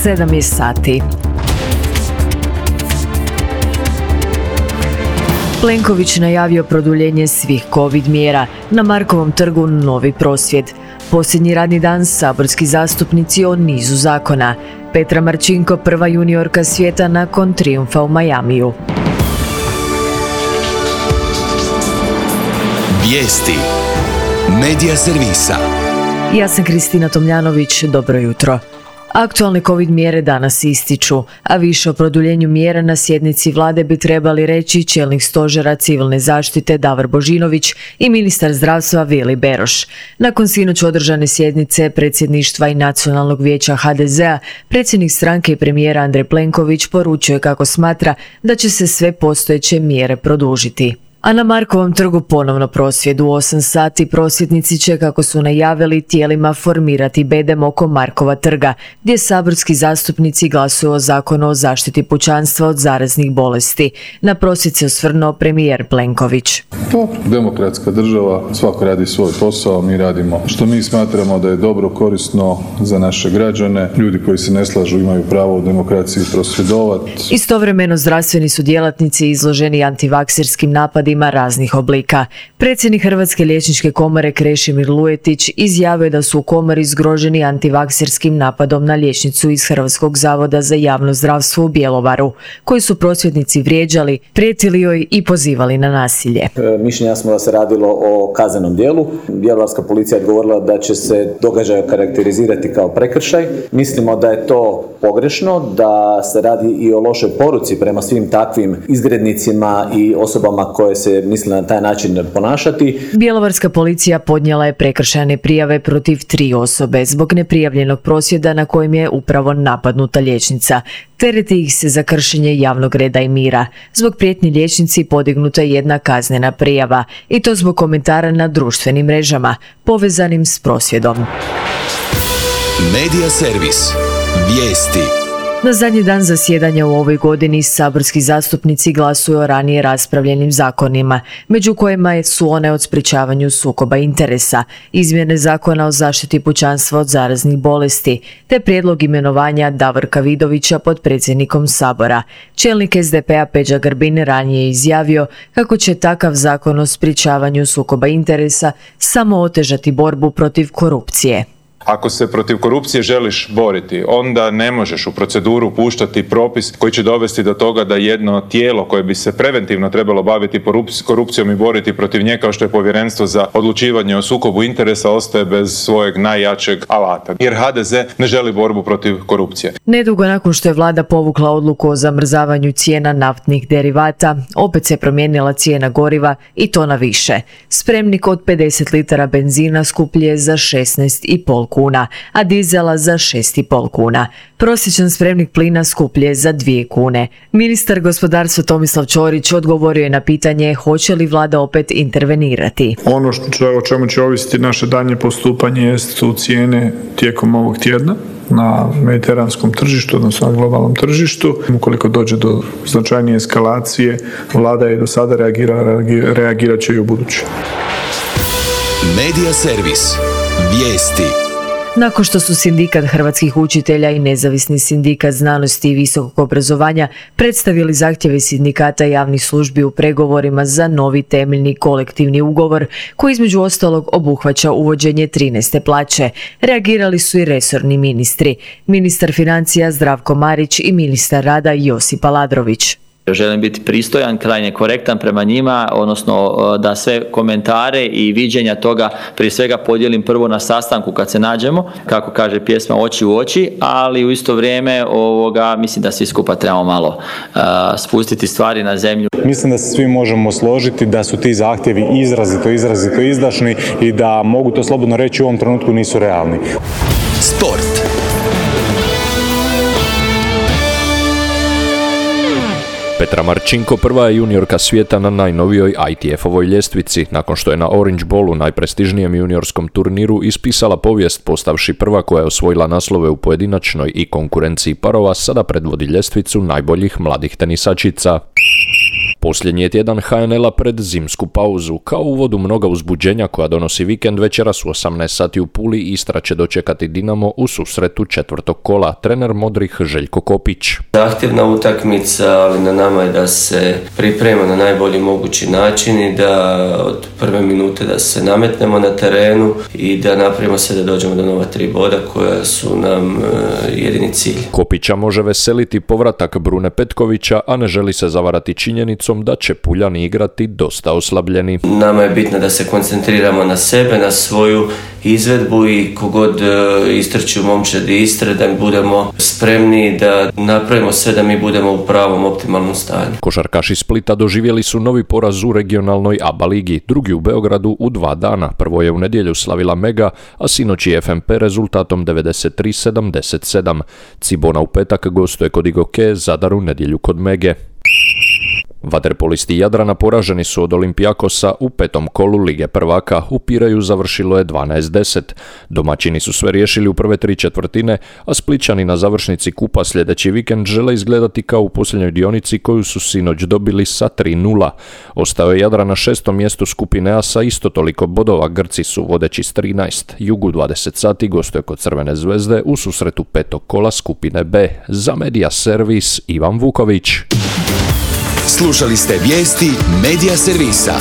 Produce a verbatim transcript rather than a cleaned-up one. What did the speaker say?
sedam je sati. Plenković najavio produljenje svih covid mjera. Na Markovom trgu novi prosvjed. Posljednji radni dan saborski zastupnici o nizu zakona. Petra Marčinko prva juniorka svijeta nakon trijumfa u Majamiju. Vijesti Medija servisa. Ja sam Kristina Tomljanović, dobro jutro. Aktualne covid mjere danas ističu, a više o produljenju mjera na sjednici vlade bi trebali reći čelnik stožera civilne zaštite Davor Božinović i ministar zdravstva Vili Beroš. Nakon sinoć održane sjednice predsjedništva i Nacionalnog vijeća ha de zea, predsjednik stranke i premijera Andrej Plenković poručuje kako smatra da će se sve postojeće mjere produžiti. A na Markovom trgu ponovno prosvjed u osam sati. Prosvjednici će, kako su najavili, tijelima formirati bedem oko Markova trga, gdje saborski zastupnici glasuju o zakonu o zaštiti pučanstva od zaraznih bolesti. Na prosvjed se osvrnuo premijer Plenković. Dobro, demokratska država, svako radi svoj posao, mi radimo što mi smatramo da je dobro, korisno za naše građane. Ljudi koji se ne slažu imaju pravo u demokraciji prosvjedovati. Istovremeno zdravstveni su djelatnici izloženi antivakserskim napadima raznih oblika. Predsjednik Hrvatske liječničke komore Krešimir Lujetić izjavio da su u komori zgroženi antivakserskim napadom na liječnicu iz Hrvatskog zavoda za javno zdravstvo u Bjelovaru, koji su prosvjednici vrijeđali, prijetili joj i pozivali na nasilje. E, mišljenja smo da se radilo o kaznenom djelu. Bjelovarska policija je odgovorila da će se događaj karakterizirati kao prekršaj. Mislimo da je to pogrešno, da se radi i o lošoj poruci prema svim takvim izgrednicima i osobama koje se misle na taj način ponašati. Bjelovarska policija podnijela je prekršajne prijave protiv tri osobe zbog neprijavljenog prosvjeda na kojem je upravo napadnuta liječnica. Tereti ih se za kršenje javnog reda i mira. Zbog prijetnji liječnici podignuta je jedna kaznena prijava, i to zbog komentara na društvenim mrežama povezanim s prosvjedom. Medija servis. Vijesti. Na zadnji dan zasjedanja u ovoj godini saborski zastupnici glasuju o ranije raspravljenim zakonima, među kojima su one o sprječavanju sukoba interesa, izmjene zakona o zaštiti pučanstva od zaraznih bolesti, te prijedlog imenovanja Davorka Vidovića potpredsjednikom Sabora. Čelnik es de pe a Peđa Grbin ranije je izjavio kako će takav zakon o sprječavanju sukoba interesa samo otežati borbu protiv korupcije. Ako se protiv korupcije želiš boriti, onda ne možeš u proceduru puštati propis koji će dovesti do toga da jedno tijelo koje bi se preventivno trebalo baviti korupcijom i boriti protiv nje, kao što je Povjerenstvo za odlučivanje o sukobu interesa, ostaje bez svojeg najjačeg alata. Jer ha de ze ne želi borbu protiv korupcije. Nedugo nakon što je vlada povukla odluku o zamrzavanju cijena naftnih derivata, opet se promijenila cijena goriva, i to na više. Spremnik od pedeset litara benzina skuplji je za šesnaest i pol kuna, a dizela za šest i pol kuna. Prosječan spremnik plina skuplji je za dvije kune. Ministar gospodarstva Tomislav Ćorić odgovorio je na pitanje hoće li vlada opet intervenirati. Ono što, o čemu će ovisiti naše daljnje postupanje su cijene tijekom ovog tjedna na mediteranskom tržištu, odnosno na globalnom tržištu. Ukoliko dođe do značajnije eskalacije, vlada je do sada reagirala, reagirat će i u buduće. Medija servis. Vijesti. Nakon što su Sindikat hrvatskih učitelja i Nezavisni sindikat znanosti i visokog obrazovanja predstavili zahtjeve sindikata javnih službi u pregovorima za novi temeljni kolektivni ugovor, koji između ostalog obuhvaća uvođenje trinaeste plaće, reagirali su i resorni ministri, ministar financija Zdravko Marić i ministar rada Josip Aladrović. Želim biti pristojan, krajnje korektan prema njima, odnosno da sve komentare i viđenja toga prije svega podijelim prvo na sastanku kad se nađemo, kako kaže pjesma, oči u oči, ali u isto vrijeme ovoga, mislim da svi skupa trebamo malo uh, spustiti stvari na zemlju. Mislim da se svi možemo složiti da su ti zahtjevi izrazito, izrazito izdašni i da mogu to slobodno reći u ovom trenutku nisu realni. Sport. Petra Marčinko prva je juniorka svijeta na najnovijoj I T F-ovoj ljestvici, nakon što je na Orange Bowlu, najprestižnijem juniorskom turniru, ispisala povijest postavši prva koja je osvojila naslove u pojedinačnoj i konkurenciji parova, sada predvodi ljestvicu najboljih mladih tenisačica. Posljednji je tjedan ha en el-a pred zimsku pauzu. Kao uvod u mnoga uzbuđenja koja donosi vikend, večeras u osamnaest sati u Puli Istra će dočekati Dinamo u susretu četvrtog kola. Trener modrih Željko Kopić. Zahtjevna utakmica, ali na nama je da se priprema na najbolji mogući način i da od prve minute da se nametnemo na terenu i da napravimo sve da dođemo do nova tri boda koja su nam jedini cilj. Kopića može veseliti povratak Brune Petkovića, a ne želi se zavarati činjenicom da će Puljani igrati dosta oslabljeni. Nama je bitno da se koncentriramo na sebe, na svoju izvedbu i kogod istrči u momčadi Istre, da budemo spremni da napravimo sve da mi budemo u pravom optimalnom stanju. Košarkaši Splita doživjeli su novi poraz u regionalnoj A B A ligi, drugi u Beogradu u dva dana. Prvo je u nedjelju slavila Mega, a sinoć je F M P rezultatom devedeset tri sedamdeset sedam. Cibona u petak gostuje kod Igoke, Zadar u nedjelju kod Mege. Vaterpolisti Jadrana poraženi su od Olimpijakosa u petom kolu Lige prvaka. U Pireju završilo je dvanaest deset. Domaćini su sve riješili u prve tri četvrtine, a Splićani na završnici kupa sljedeći vikend žele izgledati kao u posljednjoj dionici koju su sinoć dobili sa tri nula. Ostao je Jadran na šestom mjestu skupine A sa isto toliko bodova. Grci su vodeći s trinaest. Jugu dvadeset sati gostuje kod Crvene zvezde u susretu petog kola skupine B. Za Media Servis Ivan Vuković. Slušali ste vijesti Media Servisa.